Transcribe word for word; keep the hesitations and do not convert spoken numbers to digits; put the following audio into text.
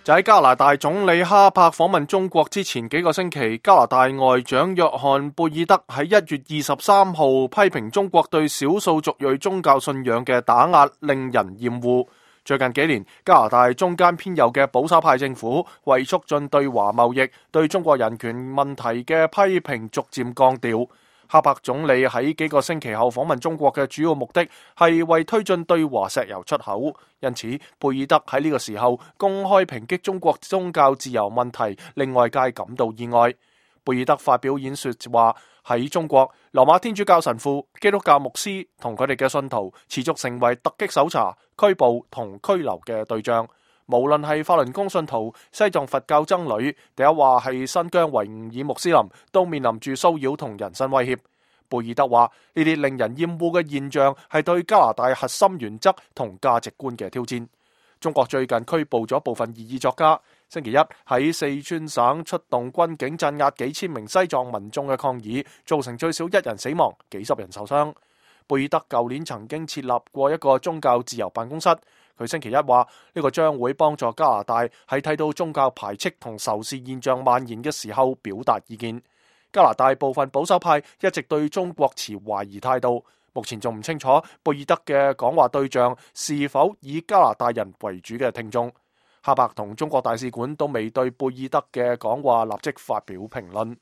就喺加拿大總理哈柏訪問中國之前幾個星期，加拿大外長約翰貝爾德喺一月二十三號批評中國對少數族裔宗教信仰嘅打壓令人厭惡。最近幾年，加拿大中間偏右嘅保守派政府為促進對華貿易，對中國人權問題嘅批評逐漸降調。哈柏總理喺幾個星期後訪問中國嘅主要目的係為推進對華石油出口，因此貝爾德喺呢個時候公開抨擊中國宗教自由問題，令外界感到意外。貝爾德發表演說話，喺中國，羅馬天主教神父、基督教牧師同佢哋嘅信徒持續成為突擊搜查、拘捕同拘留嘅對象。無論係法輪功信徒、西藏佛教僧侶，定係話係新疆維吾爾穆斯林，都面臨住騷擾同人身威脅。貝爾德話：呢啲令人厭惡嘅現象係對加拿大核心原則同價值觀嘅挑戰。中國最近拘捕咗部分異議作家，星期一喺四川省出動軍警鎮壓幾千名西藏民眾嘅抗議，造成最少一人死亡、幾十人受傷。貝爾德舊年曾經設立過一個宗教自由辦公室。佢星期一話呢個將會幫助加拿大喺睇到宗教排斥同仇視現象蔓延嘅時候表達意見。加拿大部分保守派一直對中國持懷疑態度，目前仲唔清楚貝爾德嘅講話對象是否以加拿大人為主嘅聽眾。哈柏同中國大使館都未對貝爾德嘅講話立即發表評論。